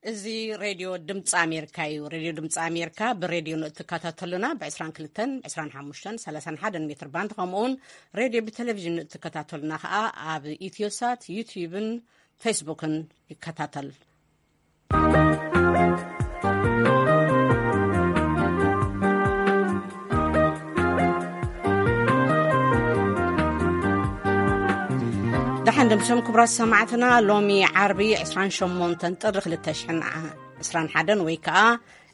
እዚ ሬድዮ ድምፂ ኣሜሪካ እዩ። ሬድዮ ድምፂ ኣሜሪካ ብሬድዮ ንእትከታተሉና ብ22፣ 25፣ 31 ሜትር ባንድ፣ ከምኡውን ሬድዮ ብቴሌቪዥን ንእትከታተሉና ከዓ ኣብ ኢትዮሳት፣ ዩትዩብን ፌስቡክን ይከታተል። ደሓን ደምሶም ክቡራት ሰማዕትና፣ ሎሚ ዓርቢ 28 ጥሪ 2021 ወይ ከዓ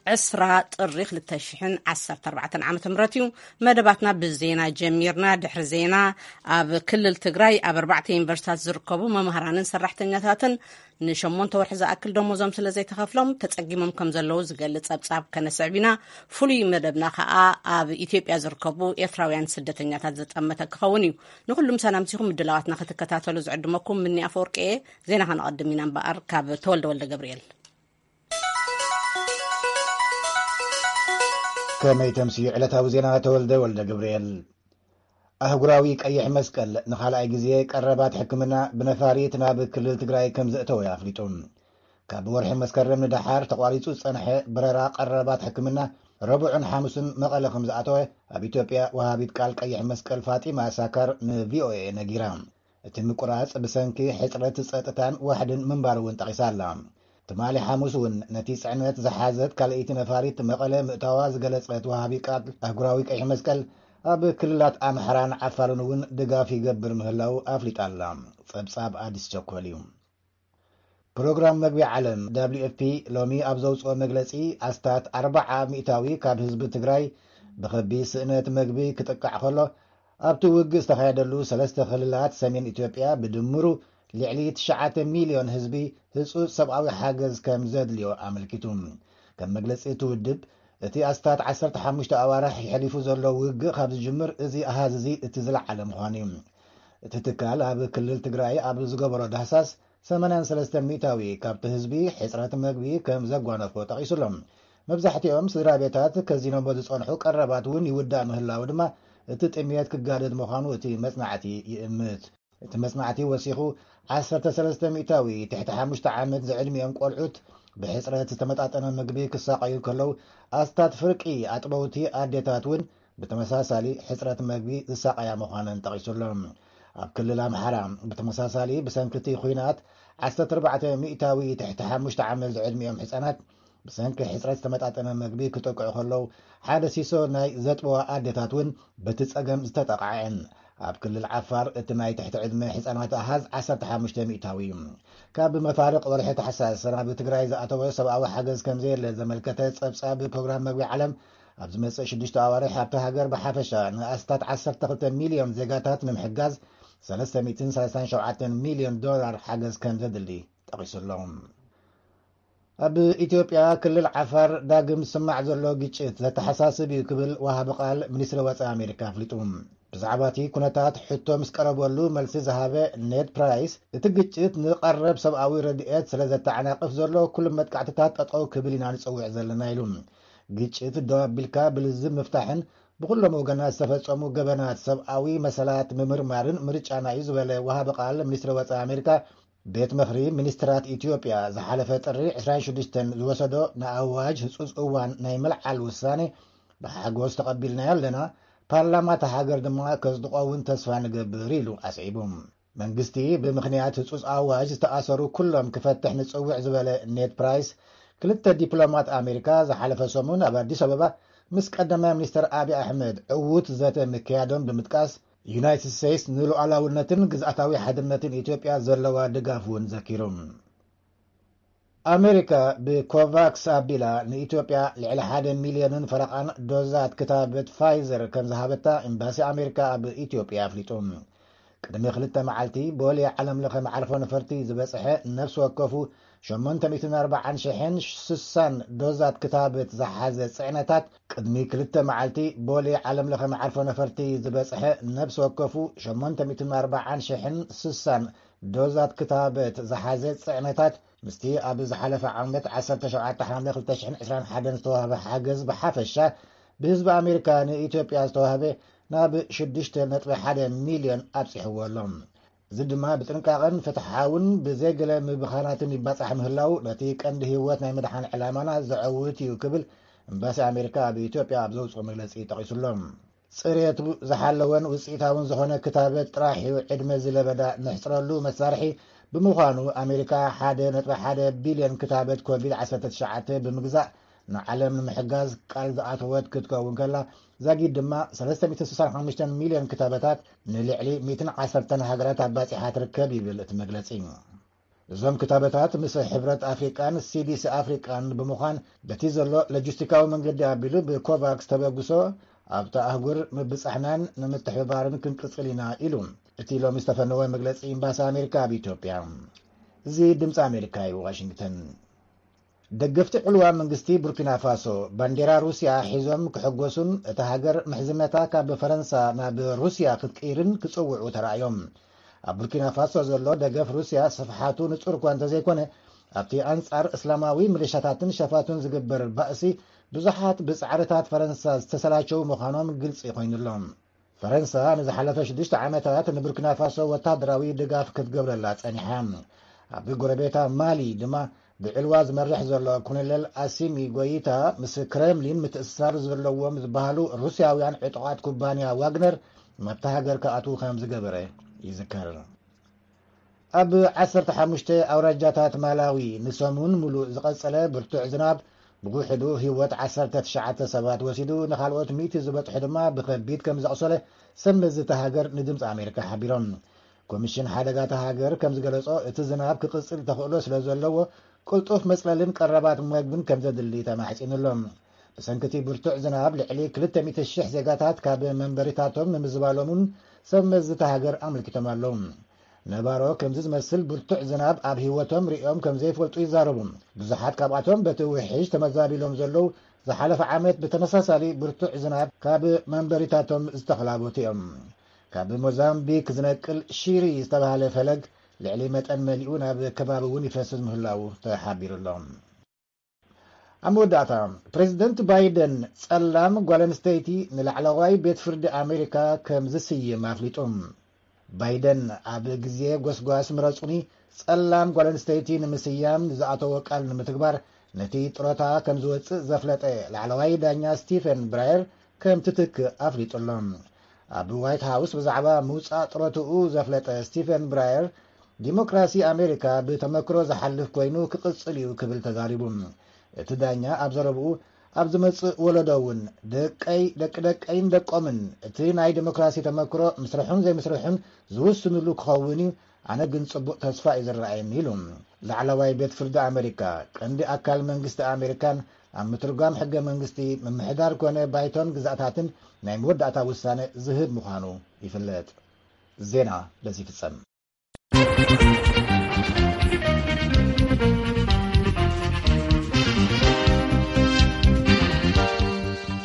20 ጥሪ 2014 ዓመተ ምህረት እዩ። መደባትና ብዜና ጀሚርና። ድሕሪ ዜና፣ ኣብ ክልል ትግራይ ኣብ ኣርባዕተ ዩኒቨርሲታት ዝርከቡ መምህራንን ሰራሕተኛታትን ንሸሞንተ ወርሒ ዝኣክል ደሞዞም ስለ ዘይተኸፍሎም ተጸጊሞም ከም ዘለዉ ዝገልጽ ጸብጻብ ከነስዕብ ኢና። ፍሉይ መደብና ከኣ ኣብ ኢትዮጵያ ዝርከቡ ኤርትራውያን ስደተኛታት ዘጠመተ ክኸውን እዩ። ንኹሉም ሰላምቲኹም ምድላዋትና ክትከታተሉ ዝዕድመኩም ምኒ ኣፈወርቂ እየ። ዜና ከነቐድም ኢና እምበኣር ካብ ተወልደ ወልደ ገብርኤል። ከመይ ተምስዩ ዕለታዊ ዜና ተወልደ ወልደ ገብርኤል። ኣህጉራዊ ቀይሕ መስቀል ንኻልኣይ ግዜ ቀረባት ሕክምና ብነፋሪት ናብ ክልል ትግራይ ከም ዘእተወ ኣፍሊጡ። ካብ ወርሒ መስከረም ንደሓር ተቋሪጹ ዝጸንሐ በረራ ቀረባት ሕክምና ረቡዕን ሓሙስን መቐለ ከም ዝኣተወ ኣብ ኢትዮጵያ ወሃቢት ቃል ቀይሕ መስቀል ፋጢማ ሳካር ንቪኦኤ ነጊራ። እቲ ምቁራጽ ብሰንኪ ሕጽረት ጸጥታን ዋሕድን ምንባሩ እውን ጠቒሳ ኣላ። ትማሊ ሓሙስ እውን ነቲ ጽዕነት ዝሓዘት ካልኣይቲ ነፋሪት መቐለ ምእታዋ ዝገለጸት ወሃቢ ቃል ኣህጉራዊ ቀይሕ መስቀል፣ ኣብ ክልላት ኣምሓራን ዓፋርን እውን ድጋፍ ይገብር ምህላው ኣፍሊጣ ኣላ። ጸብጻብ ኣዲስ ቸኮል እዩ። ፕሮግራም መግቢ ዓለም፣ ደብሊው ኤፍ ፒ፣ ሎሚ ኣብ ዘውጽኦ መግለጺ፣ ኣስታት ኣርባዓ ሚእታዊ ካብ ህዝቢ ትግራይ ብኸቢድ ስእነት መግቢ ክጥቃዕ ከሎ፣ ኣብቲ ውግእ ዝተኻየደሉ ሰለስተ ክልላት ሰሜን ኢትዮጵያ ብድምሩ ልዕሊ ትሽዓተ ሚልዮን ህዝቢ ህጹጽ ሰብኣዊ ሓገዝ ከም ዘድልዮ ኣመልኪቱ። ከም መግለጺ እቲ ውድብ፣ እቲ ኣስታት ዓሰርተ ሓሙሽተ ኣዋርሕ የሕሊፉ ዘሎ ውግእ ካብ ዝጅምር፣ እዚ ኣሃዝ እዚ እቲ ዝለዓለ ምዃኑ እዩ። እቲ ትካል ኣብ ክልል ትግራይ ኣብ ዝገበሮ ዳህሳስ፣ ሰማንያን ሰለስተን ሚእታዊ ካብቲ ህዝቢ ሕጽረት መግቢ ከም ዘጓነፎ ጠቒሱ ኣሎ። መብዛሕትኦም ስድራ ቤታት ከዚኖሞ ዝጸንሑ ቀረባት እውን ይውዳእ ምህላው ድማ፣ እቲ ጥምየት ክጋደድ ምዃኑ እቲ መጽናዕቲ ይእምት። እቲ መጽናዕቲ ወሲኹ፣ ዓሰርተ ሰለስተ ሚእታዊ ትሕቲ ሓሙሽተ ዓመት ዝዕድሚኦም ቆልዑት ብሕጽረት ዝተመጣጠነ ምግቢ ክሳቐዩ ከለዉ፣ ኣስታት ፍርቂ ኣጥበውቲ ኣዴታት እውን ብተመሳሳሊ ሕጽረት መግቢ ዝሳቐያ ምዃነን ጠቒሱ ኣሎ። ኣብ ክልል ኣምሓራ ብተመሳሳሊ ብሰንኪ እቲ ኲናት፣ ዓሰርተ ኣርባዕተ ሚእታዊ ትሕቲ ሓሙሽተ ዓመት ዝዕድሚኦም ህጻናት ብሰንኪ ሕጽረት ዝተመጣጠነ መግቢ ክጥቅዑ ከለዉ፣ ሓደ ሲሶ ናይ ዘጥበዋ ኣዴታት እውን በቲ ጸገም ዝተጠቕዓ እየን። ኣብ ክልል ዓፋር እቲ ናይ ትሕቲ ዕድመ ህጻናት ኣሃዝ ዓሰርተ ሓሙሽተ ሚእታዊ እዩ። ካብ መፋርቕ ወርሒ ታሕሳስ ናብ ትግራይ ዝኣተወ ሰብኣዊ ሓገዝ ከም ዘየለ ዘመልከተ ጸብጻብ ፕሮግራም መግቢ ዓለም፣ ኣብ ዝመጽእ ሽዱሽተ ኣዋርሕ ኣብታ ሃገር ብሓፈሻ ንኣስታት ዓሰርተ ክልተ ሚልዮን ዜጋታት ንምሕጋዝ ሰለስተ ሚእትን ሰላሳን ሸውዓተን ሚልዮን ዶላር ሓገዝ ከም ዘድሊ ጠቒሱ ኣሎ። ኣብ ኢትዮጵያ ክልል ዓፋር ዳግም ዝስማዕ ዘሎ ግጭት ዘተሓሳስብ እዩ ክብል ወሃቢ ቃል ሚኒስትሪ ወጻኢ ኣሜሪካ ኣፍሊጡ። ብዛዕባ እቲ ኩነታት ሕቶ ምስ ቀረበሉ መልሲ ዝሃበ ኔድ ፕራይስ፣ እቲ ግጭት ንቐረብ ሰብኣዊ ረድኤት ስለ ዘተዓናቕፍ ዘሎ ኩሉ መጥቃዕትታት ጠጠው ክብል ኢና ንጽውዕ ዘለና ኢሉ። ግጭት ደው ኣቢልካ ብልዝብ ምፍታሕን ብኩሎም ወገናት ዝተፈጸሙ ገበናት ሰብኣዊ መሰላት ምምርማርን ምርጫና እዩ ዝበለ ወሃቢ ቃል ሚኒስትሪ ወጻኢ ኣሜሪካ፣ ቤት ምኽሪ ሚኒስትራት ኢትዮጵያ ዝሓለፈ ጥሪ ዕስራን ሽዱሽተን ዝወሰዶ ንኣዋጅ ህጹጽ እዋን ናይ ምልዓል ውሳኔ ብሓጎስ ተቐቢልናዮ ኣለና፣ ፓርላማ እታ ሃገር ድማ ከጽድቖ እውን ተስፋ ንገብር ኢሉ ኣስዒቡ። መንግስቲ ብምኽንያት ህጹጽ ኣዋጅ ዝተኣሰሩ ኩሎም ክፈትሕ ንጽውዕ ዝበለ ኔድ ፕራይስ፣ ክልተ ዲፕሎማት ኣሜሪካ ዝሓለፈ ሰሙን ኣብ ኣዲስ ኣበባ ምስ ቀዳማይ ሚኒስትር ኣብይ ኣሕመድ ዕዉት ዘተ ምክያዶም ብምጥቃስ፣ ዩናይትድ ስቴትስ ንሉዓላውነትን ግዝኣታዊ ሓድነትን ኢትዮጵያ ዘለዋ ድጋፍ እውን ዘኪሩ። ኣሜሪካ ብኮቫክስ ኣቢላ ንኢትዮጵያ ልዕሊ ሓደ ሚልዮንን ፈረቓን ዶዛት ክታበት ፋይዘር ከም ዝሃበታ ኤምባሲ ኣሜሪካ ኣብ ኢትዮጵያ ኣፍሊጡ። ቅድሚ ክልተ መዓልቲ ቦሌ ዓለም ለኸ መዓርፎ ነፈርቲ ዝበጽሐ ነፍሲ ወከፉ ሸሞንተ ሚእትን ኣርባዓን ሽሕን ስሳን ዶዛት ክታበት ዝሓዘ ጽዕነታት፣ ቅድሚ ክልተ መዓልቲ ቦሌ ዓለም ለኸ መዓርፎ ነፈርቲ ዝበጽሐ ነፍሲ ወከፉ ሸሞንተ ሚእትን ኣርባዓን ሽሕን ስሳን ዶዛት ክታበት ዝሓዘ ጽዕነታት፣ ምስቲ ኣብ ዝሓለፈ ዓመት ዓሰርተ ሸውዓተ ሓምለ ክልተ ሽሕን ዕስራን ሓደን ዝተዋህበ ሓገዝ ብሓፈሻ ብህዝቢ ኣሜሪካ ንኢትዮጵያ ዝተዋህበ ናብ ሽዱሽተ ነጥቢ ሓደ ሚልዮን ኣብጺሕዎ ኣሎ። እዚ ድማ ብጥንቃቐን ፍትሓውን ብዘይገለ ምብኻናትን ይባጻሕ ምህላው ነቲ ቀንዲ ህይወት ናይ ምድሓን ዕላማና ዘዐውት እዩ ክብል ኤምባሲ ኣሜሪካ ኣብ ኢትዮጵያ ኣብ ዘውፅኦ መግለፂ ጠቒሱሎም። ጽሬቱ ዝሓለወን ውፅኢታውን ዝኾነ ክታበት ጥራሕ እዩ ዕድመ ዝለበዳ ንሕፅረሉ መሳርሒ ብምዃኑ ኣሜሪካ ሓደ ነጥቢ ሓደ ቢልዮን ክታበት ኮቪድ ዓሰርተ ትሽዓተ ብምግዛእ ንዓለም ንምሕጋዝ ቃል ዝኣተወት ክትከውን ከላ፣ ዛጊድ ድማ ሰለስተ ሚእትን ስሳን ሓሙሽተን ሚልዮን ክታበታት ንልዕሊ ሚእትን ዓሰርተን ሃገራት ኣባጺሓ ትርከብ ይብል እቲ መግለጺ። እዞም ክታበታት ምስ ሕብረት ኣፍሪቃን ሲዲሲ ኣፍሪቃን ብምዃን በቲ ዘሎ ሎጂስቲካዊ መንገዲ ኣቢሉ ብኮቫክስ ተበግሶ ኣብታ ኣህጉር ምብጻሕናን ንምትሕብባርን ክንቅጽል ኢና ኢሉ እቲ ሎሚ ዝተፈነወ መግለጺ ኤምባሲ ኣሜሪካ ኣብ ኢትዮጵያ። እዚ ድምፂ ኣሜሪካ እዩ፣ ዋሽንግተን። ደገፍቲ ዕልዋ መንግስቲ ቡርኪና ፋሶ ባንዴራ ሩስያ ሒዞም ክሕጎሱን እታ ሃገር ምሕዝነታ ካብ ፈረንሳ ናብ ሩስያ ክትቅይርን ክጽውዑ ተራእዮም። ኣብ ቡርኪና ፋሶ ዘሎ ደገፍ ሩስያ ስፍሓቱ ንጹር እኳ እንተዘይኮነ፣ ኣብቲ ኣንጻር እስላማዊ ሚሊሻታትን ሸፋቱን ዝግበር ባእሲ ብዙሓት ብጻዕርታት ፈረንሳ ዝተሰላቸው ምዃኖም ግልጺ ኮይኑሎም። ፈረንሳ ንዝሓለፈ ሽዱሽተ ዓመታት ንቡርኪና ፋሶ ወታደራዊ ድጋፍ ክትገብረላ ጸኒሓ። ኣብ ጎረቤታ ማሊ ድማ ብዕልዋ ዝመርሕ ዘሎ ኮሎኔል ኣሲሚ ጎይታ ምስ ክሬምሊን ምትእስሳር ዘለዎም ዝበሃሉ ሩስያውያን ዕጡቓት ኩባንያ ዋግነር ናብታ ሃገር ክኣትዉ ከም ዝገበረ ይዝከር። ኣብ ዓሰርተ ሓሙሽተ ኣውራጃታት ማላዊ ንሰሙን ሙሉእ ዝቐጸለ ብርቱዕ ዝናብ ብውሕዱ ህይወት ዓሰርተ ትሽዓተ ሰባት ወሲዱ፣ ንኻልኦት ሚእቲ ዝበጽሑ ድማ ብኸቢድ ከም ዘቑሰለ ሰብ መዚ እታ ሃገር ንድምፂ ኣሜሪካ ሓቢሮም። ኮሚሽን ሓደጋ እታ ሃገር ከም ዝገለጾ፣ እቲ ዝናብ ክቕጽል ተኽእሎ ስለ ዘለዎ፣ ቅልጡፍ መጽለልን ቀረባት መግብን ከም ዘድሊ ተማሕጺኑ ኣሎ። ብሰንኪ እቲ ብርቱዕ ዝናብ ልዕሊ ክልተ ሚእቲ ሽሕ ዜጋታት ካብ መንበሪታቶም ንምዝባሎምን ሰብ መዚ እታ ሃገር ኣመልኪቶም ኣለዉ። ነባሮ ከምዚ ዝመስል ብርቱዕ ዝናብ ኣብ ህይወቶም ርእዮም ከም ዘይፈልጡ ይዛረቡ። ብዙሓት ካብኣቶም በቲ ውሕጅ ተመዛቢሎም ዘለዉ፣ ዝሓለፈ ዓመት ብተመሳሳሊ ብርቱዕ ዝናብ ካብ መንበሪታቶም ዝተኸላበቱ እዮም። ካብ ሞዛምቢክ ዝነቅል ሺሪ ዝተባህለ ፈለግ ልዕሊ መጠን መሊኡ ናብ ከባቢ እውን ይፈስስ ምህላዉ ተሓቢሩ ኣሎ። ኣብ መወዳእታ፣ ፕሬዚደንት ባይደን ጸላም ጓል ኣንስተይቲ ንላዕለዋይ ቤት ፍርዲ ኣሜሪካ ከም ዝስይም ኣፍሊጡ። ባይደን ኣብ ግዜ ጎስጓስ ምረጹኒ ጸላም ጓል ኣንስተይቲ ንምስያም ንዝኣተዎ ቃል ንምትግባር ነቲ ጥሮታ ከም ዝወጽእ ዘፍለጠ ላዕለዋይ ዳኛ ስቲፈን ብራየር ከም ትትክእ ኣፍሊጡ ኣሎ። ኣብ ዋይት ሃውስ ብዛዕባ ምውጻእ ጥሮትኡ ዘፍለጠ ስቲፈን ብራየር፣ ዲሞክራሲ ኣሜሪካ ብተመክሮ ዝሓልፍ ኮይኑ ክቕጽል እዩ ክብል ተዛሪቡ። እቲ ዳኛ ኣብ ዘረብኡ፣ ኣብ ዝመጽእ ወለዶ እውን ደቀይ፣ ደቂ ደቀይን ደቆምን እቲ ናይ ዲሞክራሲ ተመክሮ ምስርሑን ዘይምስርሑን ዝውስንሉ ክኸውን እዩ፣ ኣነ ግን ጽቡቕ ተስፋ እዩ ዝረኣየኒ ኢሉ። ላዕለዋይ ቤት ፍርዲ ኣሜሪካ ቀንዲ ኣካል መንግስቲ ኣሜሪካን ኣብ ምትርጓም ሕገ መንግስቲ ምምሕዳር ኮነ ባይቶን ግዛእታትን ናይ መወዳእታ ውሳነ ዝህብ ምዃኑ ይፍለጥ። ዜና በዚ ይፍጸም።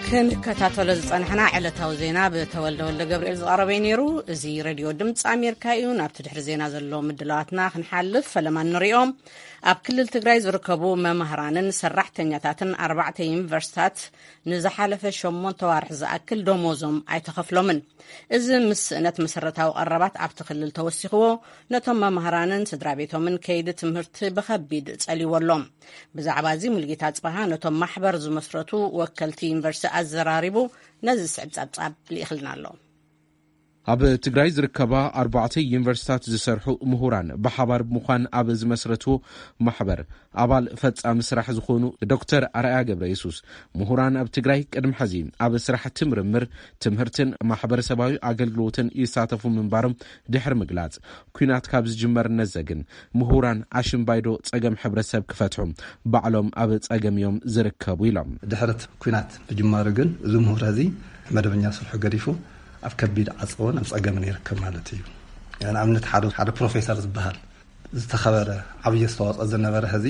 ክንከታተሎ ዝጸናሕና ዕለታዊ ዜና ብተወልደ ወልደ ገብርኤል ዝቐረበ እዩ ነይሩ። እዚ ሬድዮ ድምፂ ኣሜሪካ እዩ። ናብቲ ድሕሪ ዜና ዘሎ ምድላዋትና ክንሓልፍ ፈለማ ንሪኦም። ኣብ ክልል ትግራይ ዝርከቡ መምህራንን ሰራሕተኛታትን ኣርባዕተ ዩኒቨርሲታት ንዝሓለፈ ሸሞንተ ዋርሕ ዝኣክል ደሞዞም ኣይተኸፍሎምን። እዚ ምስ ስእነት መሰረታዊ ቀረባት ኣብቲ ክልል ተወሲኽዎ፣ ነቶም መምህራንን ስድራ ቤቶምን ከይዲ ትምህርቲ ብኸቢድ ጸልይዎ ኣሎ። ብዛዕባ እዚ ሙልጌታ ጽባሃ ነቶም ማሕበር ዝመስረቱ ወከልቲ ዩኒቨርሲቲ ኣዘራሪቡ ነዚ ዝስዕብ ጸብጻብ ልኢኽልና ኣሎ። ኣብ ትግራይ ዝርከባ ኣርባዕተ ዩኒቨርሲታት ዝሰርሑ ምሁራን ብሓባር ብምዃን ኣብ ዝመስረትዎ ማሕበር ኣባል ፈጻሚ ስራሕ ዝኾኑ ዶክተር ኣርኣያ ገብረ የሱስ፣ ምሁራን ኣብ ትግራይ ቅድሚ ሕዚ ኣብ ስራሕቲ ምርምር፣ ትምህርትን ማሕበረሰባዊ ኣገልግሎትን ይሳተፉ ምንባሮም ድሕሪ ምግላጽ፣ ኲናት ካብ ዝጅመር ነዘግን ምሁራን ኣሽምባይዶ ጸገም ሕብረተሰብ ክፈትሑ ባዕሎም ኣብ ጸገም እዮም ዝርከቡ ኢሎም። ድሕረት ኲናት ምጅማሩ ግን እዚ ምሁር እዚ መደበኛ ስርሑ ገዲፉ ኣብ ከቢድ ዓጸቦን ኣብ ጸገምን ይርከብ ማለት እዩ። ንኣብነት ሓደ፣ ሓደ ፕሮፌሰር ዝበሃል ዝተኸበረ ዓብዪ ኣስተዋጽኦ ዝነበረ ሕዚ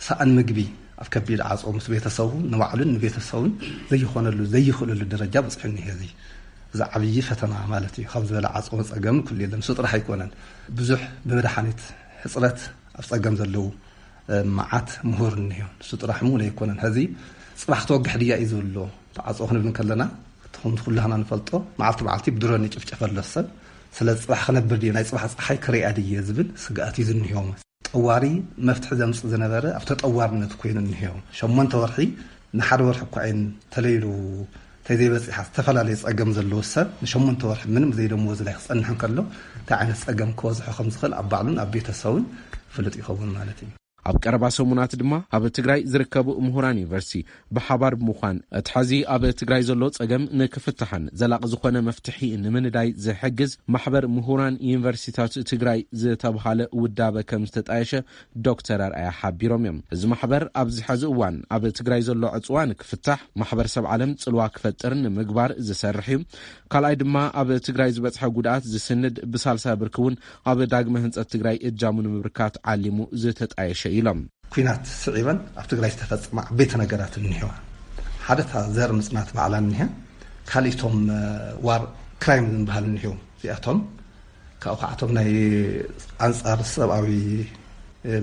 ሰኣን ምግቢ ኣብ ከቢድ ዓጸቦ ምስ ቤተሰቡ ንባዕሉን ንቤተሰቡን ዘይኾነሉ ዘይኽእለሉ ደረጃ በጺሑ እኒሀ። እዚ፣ እዚ ዓብዪ ፈተና ማለት እዩ። ካብ ዝበለ ዓጸቦ ጸገም ኩሉ የለን። ንሱ ጥራሕ ኣይኮነን። ብዙሕ ብመድሓኒት ሕጽረት ኣብ ጸገም ዘለዉ፣ እ፣ መዓት ምሁር እኒሀ። ንሱ ጥራሕ እውን ኣይኮነን። ሕዚ ጽባሕ ትወግሕ ድያ እዩ ዝብሎ። ተዓጸቦ ክንብል እንከለና፣ እቲ ከምቲ ኩላህና ንፈልጦ፣ መዓልቲ መዓልቲ ብድሮን ይጭፍጨፍ ኣሎ ሰብ። ስለ ጽባሕ ክነብር ድየ፣ ናይ ጽባሕ ጸሓይ ክሪኣ ድየ ዝብል ስግኣት እዩ ዝንሄዎም። ጠዋሪ መፍትሒ ዘምጽእ ዝነበረ ኣብ ተጠዋርነት ኮይኑ እንሄዎ። ሸሞንተ ወርሒ ንሓደ ወርሒ እኳ እየን ተለይሉ ተዘይበጺሓ፣ ዝተፈላለየ ጸገም ዘለዎ ሰብ ንሸሞንተ ወርሒ ምንም ዘይደመወዝ ላይ ክጸንሕ እንከሎ እንታይ ዓይነት ጸገም ክበዝሖ ከም ዝኽእል ኣብ ባዕሉን ኣብ ቤተሰቡን ፍሉጥ ይኸውን ማለት እዩ። ኣብ ቀረባ ሰሙናት ድማ ኣብ ትግራይ ዝርከቡ ምሁራን ዩኒቨርሲቲ ብሓባር ብምዃን እቲ ሐዚ ኣብ ትግራይ ዘሎ ጸገም ንክፍታሕን ዘላቂ ዝኾነ መፍትሒ ንምንዳይ ዝሕግዝ ማሕበር ምሁራን ዩኒቨርሲቲታት ትግራይ ዝተብሃለ ውዳበ ከም ዝተጣየሸ ዶክተር ኣርኣያ ሓቢሮም እዮም። እዚ ማሕበር ኣብዚ ሐዚ እዋን ኣብ ትግራይ ዘሎ ዕፅዋ ንክፍታሕ፣ ማሕበረሰብ ዓለም ፅልዋ ክፈጥር ንምግባር ዝሰርሕ እዩ። ካልኣይ ድማ ኣብ ትግራይ ዝበፅሐ ጉድኣት ዝስንድ፣ ብሳልሳይ ብርኪ እውን ኣብ ዳግመ ህንፀት ትግራይ እጃሙ ንምብርካት ዓሊሙ ዝተጣየሸ እዩ ኢሎም። ኲናት ስዒበን ኣብ ትግራይ ዝተፈፀማ ዓበይቲ ነገራት እኒሄዋ። ሓደ እታ ዘር ምፅናት ባዕላ እኒሄ፣ ካልእ እቶም ዋር ክራይም ዝበሃሉ እኒሄው። እዚኣቶም ካብኡ ከዓቶም ናይ ኣንፃር ሰብኣዊ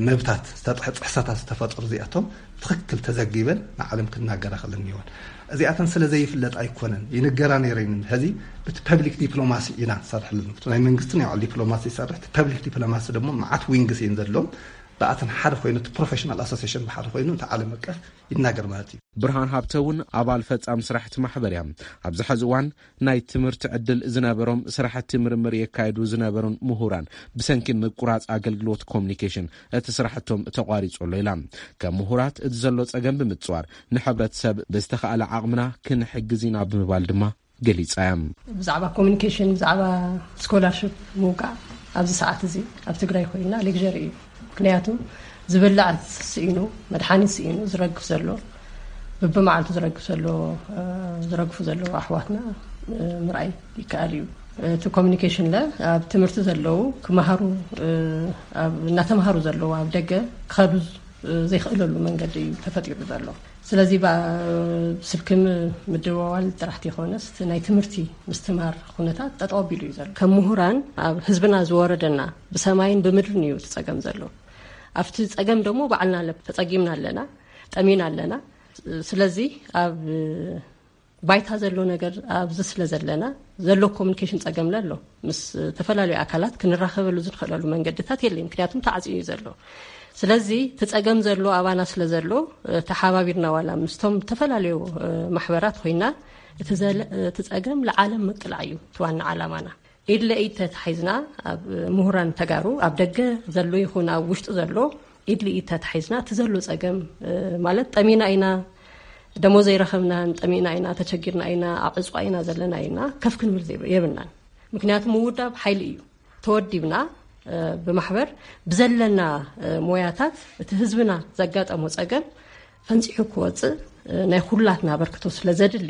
መብታት ዝተጥሐ ጥሕሰታት ዝተፈጠሩ እዚኣቶም ብትኽክል ተዘጊበን ንዓለም ክናገራ ክእለን እኒሄወን። እዚኣተን ስለ ዘይፍለጥ ኣይኮነን፣ ይንገራ ነይረን። ሕዚ ብቲ ፐብሊክ ዲፕሎማሲ ኢና ንሰርሐለን። ናይ መንግስቲ ናይ ባዕሉ ዲፕሎማሲ ይሰርሕ፣ እቲ ፐብሊክ ዲፕሎማሲ ደግሞ መዓት ዊንግስ እየን ዘለዎም። ብኣተን ሓደ ኮይኑ፣ እቲ ፕሮፌሽናል ኣሶሲሽን ብሓደ ኮይኑ እቲ ዓለም ኣቀፍ ይናገር ማለት እዩ። ብርሃን ሃብተ እውን ኣባል ፈጻሚ ስራሕቲ ማሕበር እያ። ኣብዚ ሐዚ እዋን ናይ ትምህርቲ ዕድል ዝነበሮም ስራሕቲ ምርምር የካየዱ ዝነበሩን ምሁራን ብሰንኪ ምቁራፅ ኣገልግሎት ኮሚኒኬሽን እቲ ስራሕቶም ተቋሪፁ ኣሎ ኢላ። ከም ምሁራት እቲ ዘሎ ፀገም ብምፅዋር ንሕብረተሰብ ብዝተኻእለ ዓቕምና ክንሕግዝ ኢና ብምባል ድማ ገሊፃ እያ። ብዛዕባ ኮሚኒኬሽን፣ ብዛዕባ ስኮላርሽፕ ምውቃዕ ኣብዚ ሰዓት እዚ ኣብ ትግራይ ኮይና ሌክቸር እዩ። ምክንያቱ ዝብላዕ ስኢኑ፣ መድሓኒት ስኢኑ ዝረግፍ ዘሎ፣ ብብመዓልቱ ዝረግፍ ዘሎ፣ ዝረግፉ ዘለዉ ኣሕዋትና ምርኣይ ይከኣል እዩ። እቲ ኮሚኒኬሽን ለ ኣብ ትምህርቲ ዘለዉ ክመሃሩ፣ ኣብ እናተምሃሩ ዘለዉ ኣብ ደገ ክኸዱ ዘይክእለሉ መንገዲ እዩ ተፈጢሩ ዘሎ። ስለዚ ስልኪ ምድዋዋል ጥራሕ ይኮነስ ናይ ትምህርቲ ምስትማር ኩነታት ጠጠው ኣቢሉ እዩ ዘሎ። ከም ምሁራን ኣብ ህዝብና ዝወረደና ብሰማይን ብምድርን እዩ እቲ ፀገም ዘሎ። ኣብቲ ፀገም ደሞ ባዕልና ተፀጊምና ኣለና፣ ጠሚና ኣለና። ስለዚ ኣብ ባይታ ዘሎ ነገር ኣብዚ ስለ ዘለና ዘሎ ኮሚኒኬሽን ፀገም ኣሎ። ምስ ዝተፈላለዩ ኣካላት ክንራኸበሉ ዝንኽእለሉ መንገድታት የለይ፣ ምክንያቱም ተዓፅዩ እዩ ዘሎ። ስለዚ እቲ ፀገም ዘሎ ኣባና ስለ ዘሎ ተሓባቢርና ዋላ ምስቶም ዝተፈላለዩ ማሕበራት ኮይና እቲ ፀገም ለዓለም ምቅላዕ እዩ እቲ ዋና ዓላማና። ኢድ ለኢድ ተታሒዝና ኣብ ምሁራን ተጋሩ ኣብ ደገ ዘሎ ይኹን ኣብ ውሽጢ ዘሎ ኢድ ለኢድ ተታሒዝና እቲ ዘሎ ፀገም ማለት ጠሚና ኢና፣ ደሞዝ ዘይረኸብናን ጠሚና ኢና፣ ተቸጊርና ኢና፣ ኣብ ዕፅዋ ኢና ዘለና ኢልና ከፍ ክንብል የብልናን። ምክንያቱ ምውዳብ ሓይሊ እዩ። ተወዲብና ብማሕበር ብዘለና ሞያታት እቲ ህዝብና ዘጋጠሞ ፀገም ፈንፂሑ ክወፅእ ናይ ኩላትና ኣበርክቶ ስለ ዘድሊ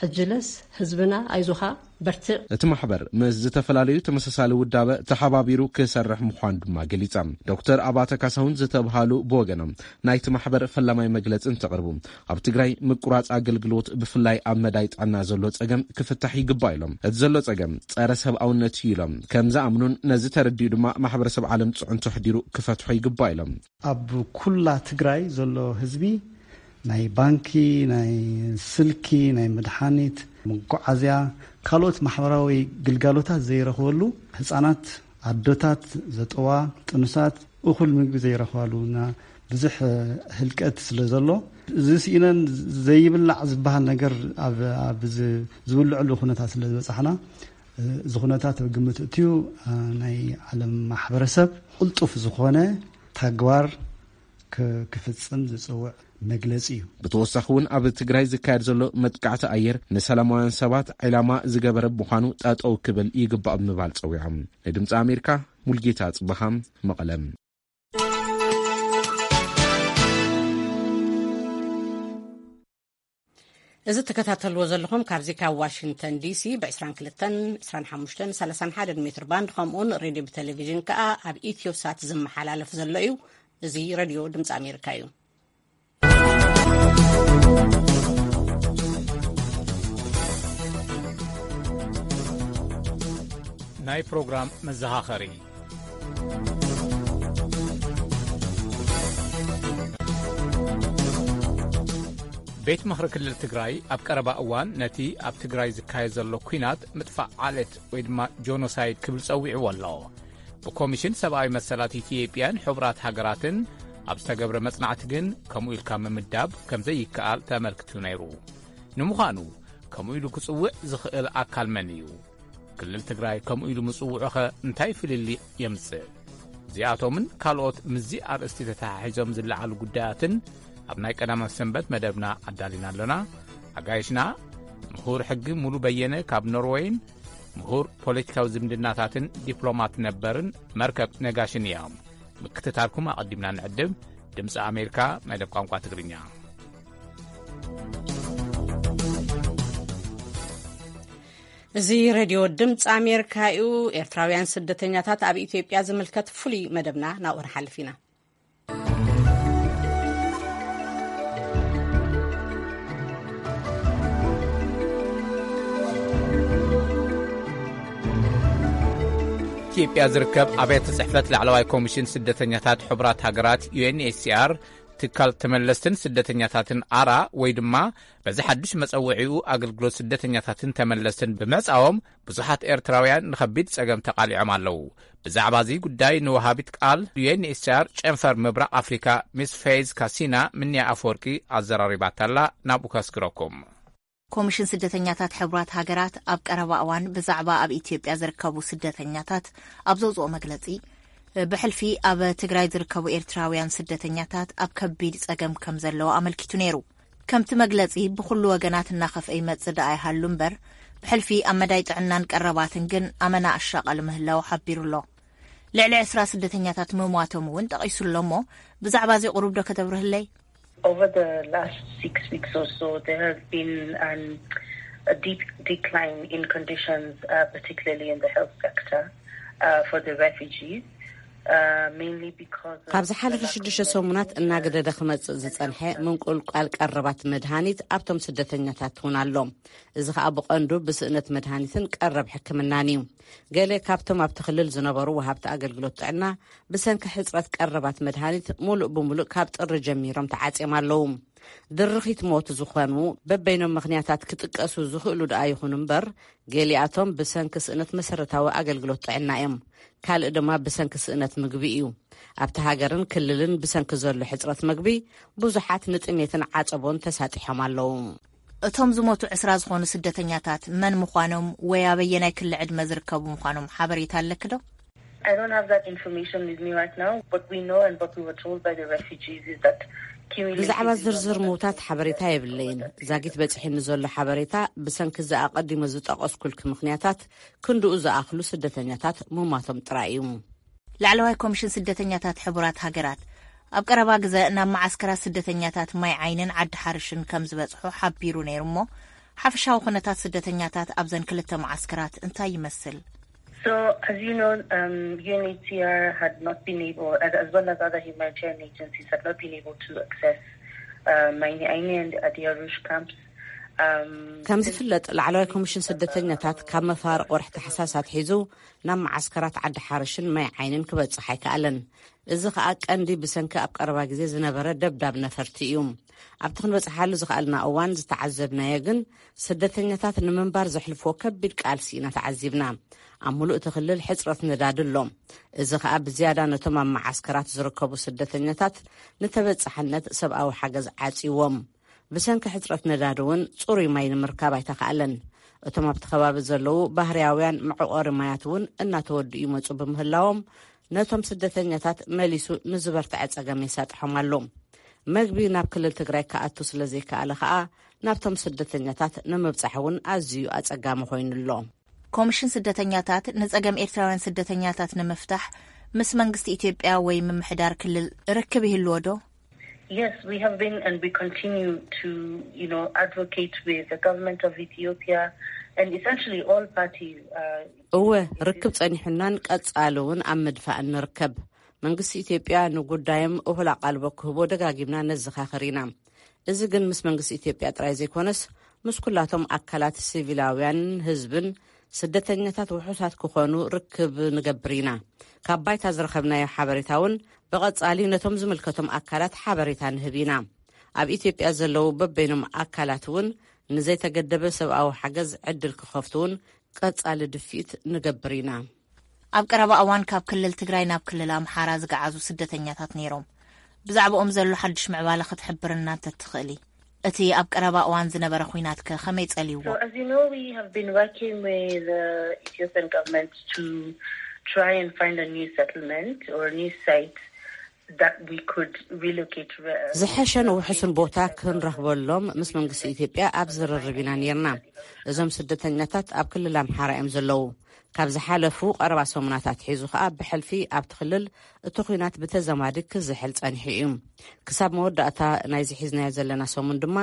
ሕጅለስ ህዝብና ኣይዞኻ በርትዕ። እቲ ማሕበር ምስ ዝተፈላለዩ ተመሳሳሊ ውዳበ ተሓባቢሩ ክሰርሕ ምዃኑ ድማ ገሊጻ። ዶክተር ኣባተ ካሳሁን ዝተብሃሉ ብወገኖም ናይቲ ማሕበር ፈላማይ መግለጺ እንተቕርቡ ኣብ ትግራይ ምቁራፅ ኣገልግሎት ብፍላይ ኣብ መዳይ ጥዕና ዘሎ ጸገም ክፍታሕ ይግባእ ኢሎም። እቲ ዘሎ ጸገም ጸረ ሰብኣውነት እዩ ኢሎም ከም ዝኣምኑን ነዚ ተረዲኡ ድማ ማሕበረሰብ ዓለም ፅዕንቶ ኣሕዲሩ ክፈትሖ ይግባእ ኢሎም። ኣብ ኩላ ትግራይ ዘሎ ህዝቢ ናይ ባንኪ፣ ናይ ስልኪ፣ ናይ መድሓኒት፣ መጓዓዝያ፣ ካልኦት ማሕበራዊ ግልጋሎታት ዘይረኽበሉ፣ ህፃናት፣ ኣዶታት፣ ዘጠዋ፣ ጥኑሳት እኹል ምግቢ ዘይረኽባሉ እና ብዙሕ ህልቀት ስለ ዘሎ፣ እዚ ስኢነን ዘይብላዕ ዝበሃል ነገር ኣብ፣ ኣብ ዝ-፣ ዝብልዕሉ ኩነታት ስለ ዝበፃሕና፣ እዚ ኩነታት ኣብ ግምት እትዩ፣ ናይ ዓለም ማሕበረሰብ ቅልጡፍ ዝኾነ ተግባር ክ-፣ ክፍጽም ዝጽውዕ መግለጺ እዩ። ብተወሳኺ እውን ኣብ ትግራይ ዝካየድ ዘሎ መጥቃዕቲ ኣየር ንሰላማውያን ሰባት ዒላማ ዝገበረ ብምዃኑ ጠጠው ክብል ይግባእ ብምባል ጸዊዖም። ንድምፂ ኣሜሪካ ሙልጌታ ጽበሃ መቐለም። እዚ ትከታተልዎ ዘለኹም ካብዚ ካብ ዋሽንግተን ዲሲ ብ22፣ 25፣ 31 ሜትር ባንድ ከምኡውን ሬድዮ ብቴሌቪዥን ከኣ ኣብ ኢትዮ ሳት ዝመሓላለፍ ዘሎ እዩ። እዚ ሬድዮ ድምፂ ኣሜሪካ እዩ። ናይ ፕሮግራም መዘኻኸሪ። ቤት ምኽሪ ክልል ትግራይ ኣብ ቀረባ እዋን ነቲ ኣብ ትግራይ ዝካየድ ዘሎ ኲናት ምጥፋእ ዓሌት ወይ ድማ ጆኖሳይድ ክብል ጸዊዕዎ ኣሎ። ብኮሚሽን ሰብኣዊ መሰላት ኢትዮጵያን ሕቡራት ሃገራትን ኣብ ዝተገብረ መጽናዕቲ ግን ከምኡ ኢልካ ምምዳብ ከም ዘይከኣል ተመልክቱ ነይሩ። ንምዃኑ ከምኡ ኢሉ ክጽውዕ ዝኽእል ኣካል መን እዩ? ክልል ትግራይ ከምኡ ኢሉ ምጽውዑኸ እንታይ ፍልልይ የምጽእ? እዚኣቶምን ካልኦት ምስዚ ኣርእስቲ ተተሓሒዞም ዝለዓሉ ጉዳያትን ኣብ ናይ ቀዳማት ሰንበት መደብና ኣዳሊና ኣሎና። ኣጋይሽና ምሁር ሕጊ ሙሉ በየነ ካብ ኖርወይን ምሁር ፖለቲካዊ ዝምድናታትን ዲፕሎማት ነበርን መርከብ ነጋሽን እዮም። ምክትታልኩም ኣቐዲምና ንዕድም። ድምፂ ኣሜሪካ መደብ ቋንቋ ትግርኛ። እዚ ሬድዮ ድምፂ ኣሜሪካ እዩ። ኤርትራውያን ስደተኛታት ኣብ ኢትዮጵያ ዝምልከት ፍሉይ መደብና ናብኡ ንሓልፍ ኢና። ኢትዮጵያ ዝርከብ ኣብያተ ጽሕፈት ላዕለዋይ ኮሚሽን ስደተኛታት ሕቡራት ሃገራት፣ ዩ ኤን ኤች ሲ ኣር፣ ትካል ተመለስትን ስደተኛታትን ኣራ፣ ወይ ድማ በዚ ሓድሽ መጸውዒኡ ኣገልግሎት ስደተኛታትን ተመለስትን ብምዕጻዎም፣ ብዙሓት ኤርትራውያን ንኸቢድ ጸገም ተቓሊዖም ኣለዉ። ብዛዕባ እዚ ጉዳይ ንወሃቢት ቃል ዩ ኤን ኤች ሲ ኣር ጨንፈር ምብራቕ ኣፍሪካ ሚስ ፌዝ ካሲና ምንያ ኣፈወርቂ ኣዘራሪባታላ፣ ናብኡ ከስግረኩም። ኮሚሽን ስደተኛታት ሕቡራት ሃገራት ኣብ ቀረባ እዋን ብዛዕባ ኣብ ኢትዮጵያ ዝርከቡ ስደተኛታት ኣብ ዘውፅኦ መግለፂ፣ ብሕልፊ ኣብ ትግራይ ዝርከቡ ኤርትራውያን ስደተኛታት ኣብ ከቢድ ፀገም ከም ዘለዎ ኣመልኪቱ ነይሩ። ከምቲ መግለፂ ብኩሉ ወገናት እናኸፍአ ይመፅእ ደኣ ይሃሉ እምበር፣ ብሕልፊ ኣብ መዳይ ጥዕናን ቀረባትን ግን ኣመና ኣሻቐል ምህላው ሓቢሩ ኣሎ። ልዕሊ ዕስራ ስደተኛታት ምሟቶም እውን ጠቒሱ ኣሎ እሞ፣ ብዛዕባ እዚ ቁሩብ ዶ ከተብርህለይ? Over the last six weeks or so, there has been an, a deep decline in conditions, uh, particularly in the health sector, uh, for the refugees, uh, mainly because of ካብ ዝሓለፈ the lack of ሽዱሽተ ሰሙናት medical እናገደደ ክመጽእ ዝጸንሐ ምንቁልቋል ቀረባት መድሃኒት ኣብቶም ስደተኛታት እውን ኣሎ። እዚ ኸኣ ብቐንዱ ብስእነት መድሃኒትን ቀረብ ሕክምናን እዩ። ገለ ካብቶም ኣብቲ ክልል ዝነበሩ ወሃብቲ ኣገልግሎት ጥዕና ብሰንኪ ሕጽረት ቀረባት መድሃኒት ሙሉእ ብሙሉእ ካብ ጥሪ ጀሚሮም ተዓጽዮም ኣለዉ። ድርኺት ሞት ዝኾኑ በበይኖም ምኽንያታት ክጥቀሱ ዝኽእሉ ደኣ ይኹኑ እምበር፣ ገሊኣቶም ብሰንኪ ስእነት መሰረታዊ ኣገልግሎት ጥዕና እዮም። ካልእ ድማ ብሰንኪ ስእነት ምግቢ እዩ። ኣብቲ ሃገርን ክልልን ብሰንኪ ዘሎ ሕጽረት ምግቢ ብዙሓት ንጥሜትን ዓጸቦን ተሳጢሖም ኣለዉ። እቶም ዝሞቱ ዕስራ ዝኾኑ ስደተኛታት መን ምዃኖም ወይ ኣበየናይ ክሊ ዕድመ ዝርከቡ ምዃኖም ሓበሬታ ኣለኪ ዶ? I don't have that information with me right now. What we know and what we were told by the refugees is that ብዛዕባ cumulatively ዝርዝር ምውታት ሓበሬታ የብለይን። ዛጊት በጺሕኒ ዘሎ ሓበሬታ ብሰንኪ እዚ ኣቐዲመ ዝጠቐስኩልኪ ምኽንያታት ክንድኡ ዝኣኽሉ ስደተኛታት ምሟቶም ጥራይ እዩ። ላዕለዋይ ኮሚሽን ስደተኛታት ሕቡራት ሃገራት ኣብ ቀረባ ግዘ ናብ መዓስከራት ስደተኛታት ማይ ዓይንን ዓዲ ሓርሽን ከም ዝበጽሑ ሓቢሩ ነይሩ እሞ፣ ሓፈሻዊ ኩነታት ስደተኛታት ኣብዘን ክልተ መዓስከራት እንታይ ይመስል? So, as you know, um, U N H C R had not been able, as, as well as other humanitarian agencies, had not been able to access uh, Maini Aini and Adiarush camps. Um, ከም ዝፍለጥ፣ ላዕለዋይ ኮሚሽን ስደተኛታት ካብ መፋርቕ ወርሒ ታሕሳስ ኣትሒዙ ናብ መዓስከራት ዓዲ ሓርሽን ማይ ዓይንን ክበጽሕ ኣይከኣለን። እዚ ኸኣ ቀንዲ ብሰንኪ ኣብ ቀረባ ግዜ ዝነበረ ደብዳብ ነፈርቲ እዩ። ኣብቲ ክንበጽሓሉ ዝኸኣልና እዋን ዝተዓዘብናዮ ግን፣ ስደተኛታት ንምንባር ዘሕልፍዎ ከቢድ ቃልሲ ኢና ተዓዚብና። ኣብ ምሉእ እቲ ክልል ሕጽረት ነዳዲ ኣሎ። እዚ ኸኣ ብዝያዳ ነቶም ኣብ መዓስከራት ዝርከቡ ስደተኛታት ንተበጻሕነት ሰብኣዊ ሓገዝ ዓጽይዎም። ብሰንኪ ሕጽረት ነዳዲ እውን ጽሩይ ማይ ንምርካብ ኣይተኻእለን። እቶም ኣብቲ ከባቢ ዘለዉ ባህርያውያን መዕቆሪ ማያት እውን እናተወድኡ ይመጹ ብምህላዎም፣ ነቶም ስደተኛታት መሊሱ ንዝበርትዐ ጸገም የሳጥሖም ኣሎ። መግቢ ናብ ክልል ትግራይ ክኣቱ ስለ ዘይከኣለ ኸኣ፣ ናብቶም ስደተኛታት ንምብጻሕ እውን ኣዝዩ ኣጸጋሚ ኮይኑ ኣሎ። ኮሚሽን ስደተኛታት ንጸገም ኤርትራውያን ስደተኛታት ንምፍታሕ ምስ መንግስቲ ኢትዮጵያ ወይ ምምሕዳር ክልል ርክብ ይህልዎ ዶ? Yes, we have been and we continue to, you know, advocate with the government of Ethiopia and essentially all parties. Uh, እወ፣ ርክብ ጸኒሑናን ቀጻሊ እውን ኣብ ምድፋእን ንርከብ። መንግስቲ ኢትዮጵያ ንጉዳዮም እኹል ኣቓልቦ ክህቦ ደጋጊምና ነዘኻኽር ኢና። እዚ ግን ምስ መንግስቲ ኢትዮጵያ ጥራይ ዘይኮነስ፣ ምስ ኩላቶም ኣካላት ሲቪላውያንን ህዝብን ስደተኛታት ውሑሳት ክኾኑ ርክብ ንገብር ኢና። ካብ ባይታ ዝረኸብናዮ ሓበሬታ እውን ብቐጻሊ ነቶም ዝምልከቶም ኣካላት ሓበሬታ ንህብ ኢና። ኣብ ኢትዮጵያ ዘለዉ በበይኖም ኣካላት እውን ንዘይተገደበ ሰብኣዊ ሓገዝ ዕድል ክኸፍቱ እውን ቀጻሊ ድፊት ንገብር ኢና። ኣብ ቀረባ እዋን ካብ ክልል ትግራይ ናብ ክልል ኣምሓራ ዝገዓዙ ስደተኛታት ነይሮም። ብዛዕባኦም ዘሎ ሓድሽ ምዕባለ ክትሕብርና እንተትኽእሊ? እቲ ኣብ ቀረባ እዋን ዝነበረ ኲናት ከ ከመይ ጸልይዎ? So, as you know, we have been working with the Ethiopian government to try and find a new settlement or a new site that we could relocate. ዝሐሸ ንውሕስን ቦታ ክንረኽበሎም ምስ መንግስቲ ኢትዮጵያ ኣብ ዝርርብ ኢና ነርና። እዞም ስደተኛታት ኣብ ክልል ኣምሓራ እዮም ዘለዉ። ካብ ዝሓለፉ ቀረባ ሰሙናት ኣትሒዙ ከኣ ብሕልፊ ኣብቲ ክልል እቲ ኲናት ብተዘማዲ ክዝሕል ጸኒሑ እዩ። ክሳብ መወዳእታ ናይዚ ሒዝናዮ ዘለና ሰሙን ድማ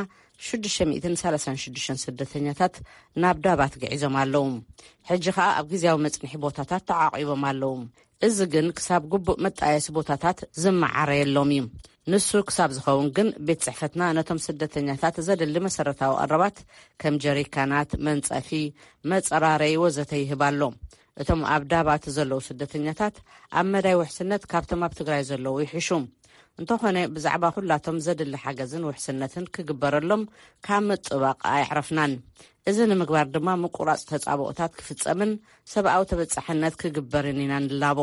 ሽዱሽተ ሚእትን ሰላሳን ሽዱሽተን ስደተኛታት ናብ ዳባት ግዒዞም ኣለዉ። ሕጂ ከኣ ኣብ ግዜያዊ መጽንሒ ቦታታት ተዓቒቦም ኣለዉ። እዚ ግን ክሳብ ግቡእ መጣየሲ ቦታታት ዝመዓረየሎም እዩ። ንሱ ክሳብ ዝኸውን ግን ቤት ጽሕፈትና ነቶም ስደተኛታት ዘድሊ መሰረታዊ ቀረባት ከም ጀሪካናት፣ መንጸፊ፣ መጸራረይ ወዘተ ይህብ ኣሎ። እቶም ኣብ ዳባት ዘለዉ ስደተኛታት ኣብ መዳይ ውሕስነት ካብቶም ኣብ ትግራይ ዘለዉ ይሕሹ። እንተኾነ ብዛዕባ ኩላቶም ዘድሊ ሓገዝን ውሕስነትን ክግበረሎም ካብ ምጥባቕ ኣየዕረፍናን። እዚ ንምግባር ድማ ምቁራጽ ተጻብኦታት ክፍጸምን ሰብኣዊ ተበጻሕነት ክግበርን ኢና ንላቦ።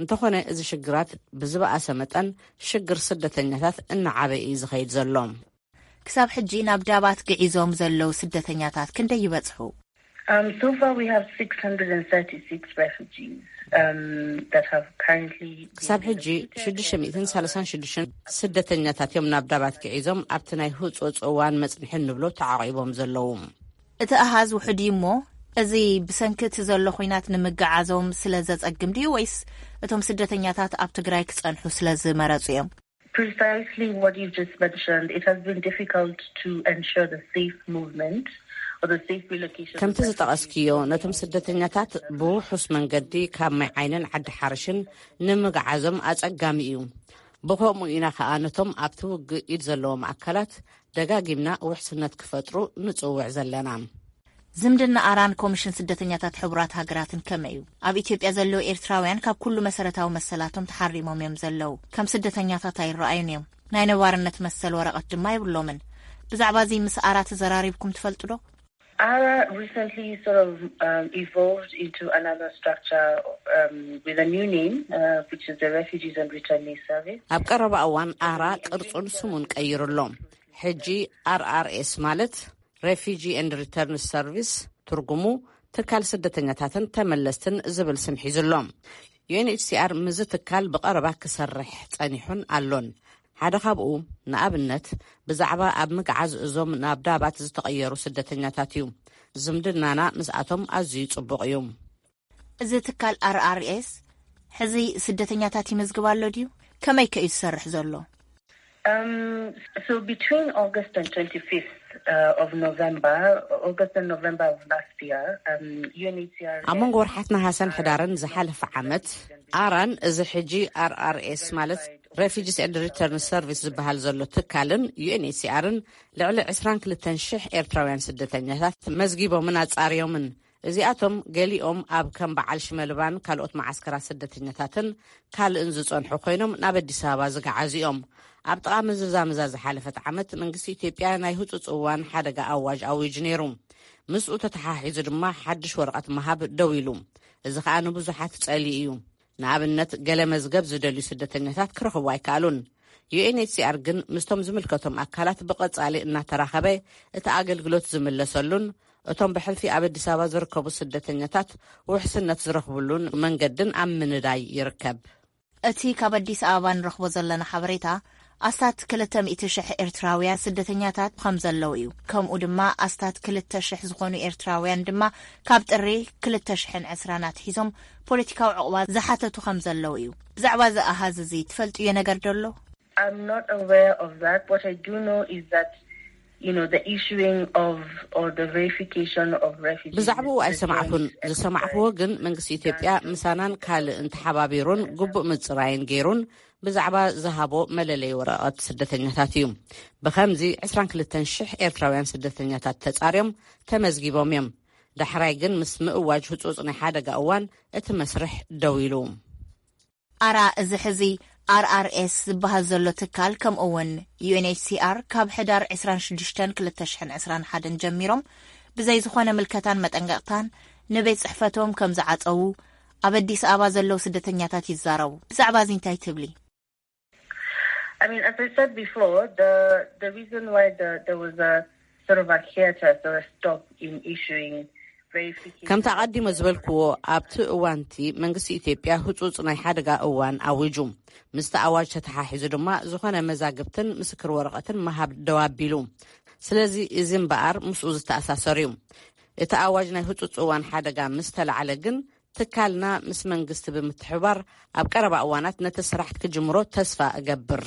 እንተኾነ እዚ ሽግራት ብዝበኣሰ መጠን ሽግር ስደተኛታት እናዓበየ እዩ ዝኸይድ ዘሎ። ክሳብ ሕጂ ናብ ዳባት ግዒዞም ዘለዉ ስደተኛታት ክንደይ ይበጽሑ? Um, so far we have six hundred and thirty-six refugees um, that have currently been ክሳብ ሕጂ relocated. ሽዱሽተ ሚእትን ሰላሳን ሽዱሽተን ስደተኛታት እዮም ናብ ዳባት ግዒዞም ኣብቲ ናይ ህጹጽ እዋን መጽንሒ እንብሎ ተዓቒቦም ዘለዉ። እቲ ኣሃዝ ውሑድ እዩ እሞ፣ እዚ ብሰንኪ እቲ ዘሎ ኲናት ንምግዓዞም ስለ ዘጸግም ድዩ ወይስ እቶም ስደተኛታት ኣብ ትግራይ ክጸንሑ ስለ ዝመረጹ እዮም? Precisely what you've just mentioned, it has been difficult to ensure the safe movement or the safe relocation. ከምቲ ዝጠቐስክዮ፣ ነቶም ስደተኛታት ብውሑስ መንገዲ ካብ ማይ ዓይንን ዓዲ ሓርሽን ንምግዓዞም ኣጸጋሚ እዩ። ብኸምኡ ኢና ከኣ ነቶም ኣብቲ ውግእ ኢድ ዘለዎም ኣካላት ደጋጊምና ውሕስነት ክፈጥሩ ንጽውዕ ዘለና። ዝምድና ኣራን ኮሚሽን ስደተኛታት ሕቡራት ሃገራትን ከመይ እዩ? ኣብ ኢትዮጵያ ዘለዉ ኤርትራውያን ካብ ኩሉ መሰረታዊ መሰላቶም ተሓሪሞም እዮም ዘለዉ። ከም ስደተኛታት ኣይረኣዩን እዮም። ናይ ነባርነት መሰል ወረቐት ድማ የብሎምን። ብዛዕባ እዚ ምስ ኣራ ተዘራሪብኩም ትፈልጡ ዶ? Ara recently sort of um, evolved into another structure um, with a new name, uh, which is the Refugees and Returnees Service. ኣብ ቀረባ እዋን ኣራ ቅርጹን ስሙን ቀይሩ ኣሎ። ሕጂ ኣርኣርኤስ ማለት ሬፊጂ ኤንድ ሪተርን ሰርቪስ፣ ትርጉሙ ትካል ስደተኛታትን ተመለስትን ዝብል ስም ሒዙ ኣሎ። ዩኤንኤችሲኣር ምስዚ ትካል ብቐረባ ክሰርሕ ጸኒሑን ኣሎን። ሓደ ካብኡ ንኣብነት ብዛዕባ ኣብ ምግዓዝ እዞም ናብ ዳባት ዝተቐየሩ ስደተኛታት እዩ። ዝምድናና ምስኣቶም ኣዝዩ ጽቡቕ እዩ። እዚ ትካል ኣርኣርኤስ ሕዚ ስደተኛታት ይመዝግብ ኣሎ ድዩ? ከመይ ከ እዩ ዝሰርሕ ዘሎ? Um, so between August and twenty-fifth uh, of November, August and November of last year, um, UNHCR. ኣብ መንጎ ወርሓት ነሃሰን ሕዳርን ዝሓለፈ ዓመት ኣራን እዚ ሕጂ ኣርኣርኤስ ማለት ሬፊጂስ ኤንድ ሪተርን ሰርቪስ ዝበሃል ዘሎ ትካልን ዩኤንኤችሲኣርን ልዕሊ ዕስራን ክልተን ሽሕ ኤርትራውያን ስደተኛታት መዝጊቦምን ኣጻርዮምን። እዚኣቶም ገሊኦም ኣብ ከም በዓል ሽመልባን ካልኦት መዓስከራት ስደተኛታትን ካልእን ዝጸንሑ ኮይኖም ናብ ኣዲስ ኣበባ ዝገዓዙ እዮም። ኣብ ጥቓ ምዝዛምዛ ዝሓለፈት ዓመት መንግስቲ ኢትዮጵያ ናይ ህጹጽ እዋን ሓደጋ ኣዋጅ ኣዊጁ ነይሩ። ምስኡ ተተሓሒዙ ድማ ሓድሽ ወረቐት ምሃብ ደው ኢሉ። እዚ ከኣ ንብዙሓት ጸልዩ እዩ። ንኣብነት ገለ መዝገብ ዝደልዩ ስደተኛታት ክረኽቡ ኣይከኣሉን። ዩኤንኤችሲኣር ግን ምስቶም ዝምልከቶም ኣካላት ብቐጻሊ እናተራኸበ እቲ ኣገልግሎት ዝምለሰሉን እቶም ብሕልፊ ኣብ ኣዲስ ኣበባ ዝርከቡ ስደተኛታት ውሕስነት ዝረኽብሉን መንገድን ኣብ ምንዳይ ይርከብ። እቲ ካብ ኣዲስ ኣበባ ንረኽቦ ዘለና ሓበሬታ ኣስታት ክልተ ሚእቲ ሽሕ ኤርትራውያን ስደተኛታት ከም ዘለዉ እዩ። ከምኡ ድማ ኣስታት ክልተ ሽሕ ዝኾኑ ኤርትራውያን ድማ ካብ ጥሪ ክልተ ሽሕን ዕስራን ኣትሒዞም ፖለቲካዊ ዕቑባ ዝሓተቱ ከም ዘለዉ እዩ። ብዛዕባ እዚ ኣሃዝ እዚ ትፈልጥዮ ነገር ዶ ኣሎ? I'm not aware of that. What I do know is that, you know, the issuing of or the verification of refugees. ብዛዕባኡ ኣይሰማዕኩን። ዝሰማዕኩዎ ግን መንግስቲ ኢትዮጵያ ምሳናን ካልእን ተሓባቢሩን ግቡእ ምጽራይን ገይሩን ብዛዕባ ዝሃቦ መለለይ ወረቐት ስደተኛታት እዩ። ብኸምዚ ዕስራን ክልተን ሽሕ ኤርትራውያን ስደተኛታት ተጻርዮም ተመዝጊቦም እዮም። ዳሕራይ ግን ምስ ምእዋጅ ህጹጽ ናይ ሓደጋ እዋን እቲ መስርሕ ደው ኢሉ። ኣራ እዚ ሕዚ ኣርኣርኤስ ዝበሃል ዘሎ ትካል፣ ከምኡ እውን ዩ ኤን ኤች ሲ ኣር፣ ካብ ሕዳር ዕስራን ሽዱሽተን ክልተ ሽሕን ዕስራን ሓደን ጀሚሮም ብዘይ ዝኾነ ምልከታን መጠንቀቕታን ንቤት ጽሕፈቶም ከም ዝዓጸዉ ኣብ ኣዲስ ኣበባ ዘለዉ ስደተኛታት ይዛረቡ። ብዛዕባ እዚ እንታይ ትብሊ? I mean, as I said before, the the reason why the, there was a sort of a hiatus or a stop in issuing verification. ከምቲ ኣቐዲመ ዝበልክዎ፣ ኣብቲ እዋንቲ መንግስቲ ኢትዮጵያ ህጹጽ ናይ ሓደጋ እዋን ኣዊጁ። ምስቲ ኣዋጅ ተተሓሒዙ ድማ ዝኾነ መዛግብትን ምስክር ወረቐትን ምሃብ ደው ኣቢሉ። ስለዚ እዚ እምበኣር ምስኡ ዝተኣሳሰር እዩ። እቲ ኣዋጅ ናይ ህጹጽ እዋን ሓደጋ ምስ ተላዕለ ግን፣ ትካልና ምስ መንግስቲ ብምትሕብባር ኣብ ቀረባ እዋናት ነቲ ስራሕ ክጅምሮ ተስፋ እገብር።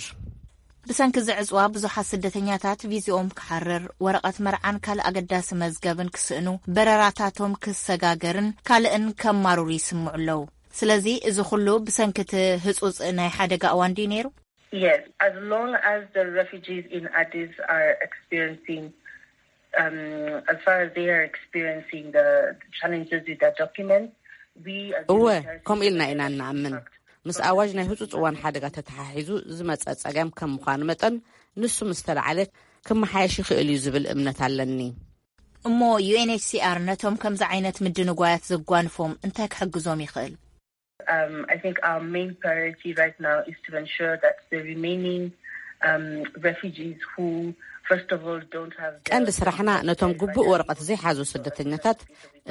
ብሰንኪ እዚ ዕጽዋ ብዙሓት ስደተኛታት ቪዝኦም ክሓርር፣ ወረቐት መርዓን ካልእ ኣገዳሲ መዝገብን ክስእኑ፣ በረራታቶም ክሰጋገርን ካልእን ከማርሩ ይስምዑ ኣለዉ። ስለዚ እዚ ኩሉ ብሰንኪ እቲ ህጹጽ ናይ ሓደጋ እዋን ድዩ ነይሩ? Yes, as long as the refugees in Addis are experiencing, um, as far as they are experiencing the challenges with their documents, we as እወ፣ humanitarian ከምኡ ኢልና ኢና humanitarian እንኣምን። impact ምስ ኣዋጅ ናይ ህጹጽ እዋን ሓደጋ ተተሓሒዙ ዝመጸ ጸገም ከም ምዃኑ መጠን፣ ንሱ ምስ ተላዕለ ክመሓየሽ ይኽእል እዩ ዝብል እምነት ኣለኒ። እሞ ዩ ኤን ኤች ሲ ኣር ነቶም ከምዚ ዓይነት ምድንጓያት ዘጓንፎም እንታይ ክሕግዞም ይኽእል? Um, I think our main priority right now is to ensure that the remaining um, refugees who, first of all, don't have the ቀንዲ ስራሕና ነቶም ግቡእ ወረቐት ዘይሓዙ ስደተኛታት፣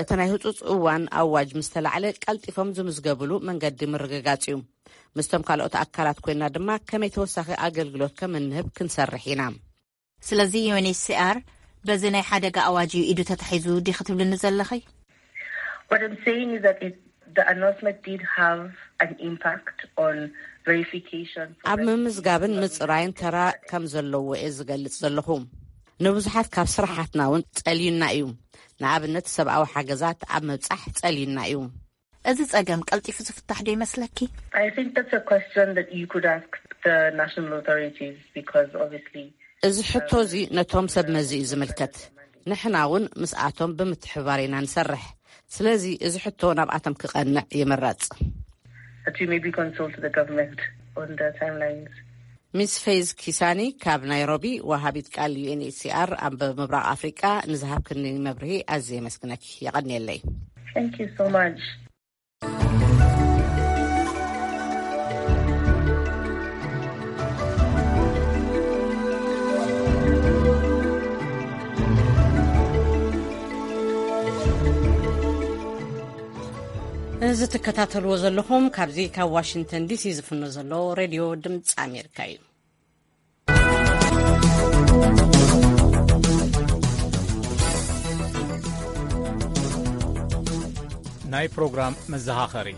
እቲ ናይ ህጹጽ እዋን ኣዋጅ ምስ ተላዕለ ቀልጢፎም ዝምዝገብሉ መንገዲ ምርግጋጽ እዩ። ምስቶም ካልኦት ኣካላት ኮይና ድማ ከመይ ተወሳኺ ኣገልግሎት ከም እንህብ ክንሰርሕ ኢና። ስለዚ ዩ ኤን ኤች ሲ ኣር በዚ ናይ ሓደጋ ኣዋጅ እዩ ኢዱ ተታሒዙ ዲኺ ትብልኒ ዘለኺ? What I'm saying is that it, the announcement did have an impact on verification. ኣብ ምምዝጋብን ምጽራይን ተራ ከም ዘለዎ እየ ዝገልጽ ዘለኹ። ንብዙሓት ካብ ስራሓትና እውን ጸልዩና እዩ። ንኣብነት ሰብኣዊ ሓገዛት ኣብ ምብጻሕ ጸልዩና እዩ። እዚ ጸገም ቀልጢፉ ዝፍታሕ ዶ ይመስለኪ? I think that's a question that you could ask the national authorities because obviously እዚ ሕቶ እዚ ነቶም ሰብ መዚ እዩ ዝምልከት። ንሕና እውን ምስኣቶም ብምትሕባር ኢና ንሰርሕ። ስለዚ እዚ ሕቶ ናብኣቶም ክቐንዕ ይምረጽ። that you maybe consult the government on the timelines. ሚስ ፌዝ ኪሳኒ ካብ ናይሮቢ፣ ወሃቢት ቃል ዩ ኤን ኤች ሲ ኣር ኣብ ምብራቕ ኣፍሪቃ፣ ንዝሃብክኒ መብርሂ ኣዝየ የመስግነኪ። የቐንየለይ። Thank you so much. እዚ ትከታተልዎ ዘለኹም ካብዚ ካብ ዋሽንግተን ዲሲ ዝፍኖ ዘሎ ሬድዮ ድምፂ ኣሜሪካ እዩ። ናይ ፕሮግራም መዘኻኸሪ።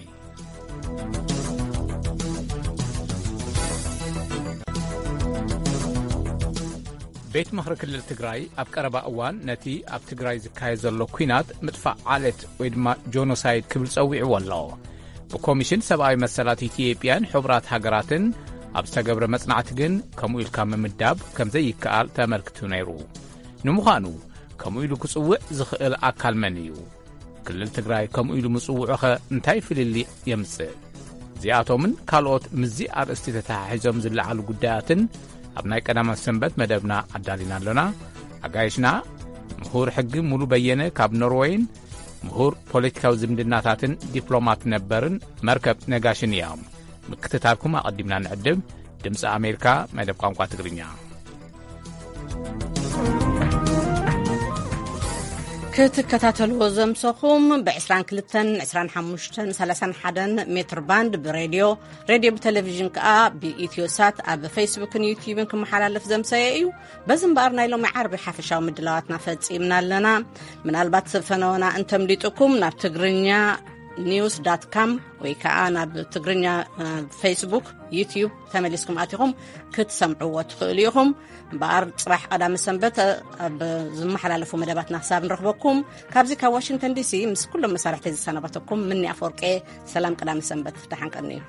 ቤት ምኽሪ ክልል ትግራይ ኣብ ቀረባ እዋን ነቲ ኣብ ትግራይ ዝካየድ ዘሎ ኲናት ምጥፋእ ዓሌት ወይ ድማ ጆኖሳይድ ክብል ጸዊዕዎ ኣሎ። ብኮሚሽን ሰብኣዊ መሰላት ኢትዮጵያን ሕቡራት ሃገራትን ኣብ ዝተገብረ መጽናዕቲ ግን ከምኡ ኢልካ ምምዳብ ከም ዘይከኣል ተመልክቱ ነይሩ። ንምዃኑ ከምኡ ኢሉ ክጽውዕ ዝኽእል ኣካል መን እዩ? ክልል ትግራይ ከምኡ ኢሉ ምጽውዑኸ እንታይ ፍልልይ የምጽእ? እዚኣቶምን ካልኦት ምስዚ ኣርእስቲ ተተሓሒዞም ዝለዓሉ ጉዳያትን ኣብ ናይ ቀዳማት ሰንበት መደብና ኣዳሊና ኣሎና። ኣጋይሽና ምሁር ሕጊ ሙሉ በየነ ካብ ኖርወይን ምሁር ፖለቲካዊ ዝምድናታትን ዲፕሎማት ነበርን መርከብ ነጋሽን እዮም። ምክትታልኩም ኣቐዲምና ንዕድም። ድምፂ ኣሜሪካ መደብ ቋንቋ ትግርኛ። ክትከታተልዎ ዘምሰኹም ብ22፣ 25፣ 31 ሜትር ባንድ ብሬድዮ፣ ሬድዮ ብቴሌቪዥን ከኣ ብኢትዮሳት ኣብ ፌስቡክን ዩትዩብን ክመሓላለፍ ዘምሰየ እዩ። በዚ እምበኣር ናይ ሎሚ ዓርቢ ሓፈሻዊ ምድላዋትና ፈጺምና ኣለና። ምናልባት ፈነወና እንተምሊጥኩም ናብ ትግርኛ ኒውስ ዳት ካም ወይ ከኣ ናብ ትግርኛ ፌስቡክ፣ ዩትዩብ ተመሊስኩም ኣቲኹም ክትሰምዕዎ ትኽእሉ ኢኹም። እምበኣር ጽባሕ ቀዳመ ሰንበት ኣብ ዝመሓላለፉ መደባትና ክሳብ ንረኽበኩም፣ ካብዚ ካብ ዋሽንግተን ዲሲ ምስ ኩሎም መሳርሕተይ ዝሰናበተኩም ምኒ ኣፈወርቄ፣ ሰላም ቀዳመ ሰንበት፣ ደሓን ቀንዩ።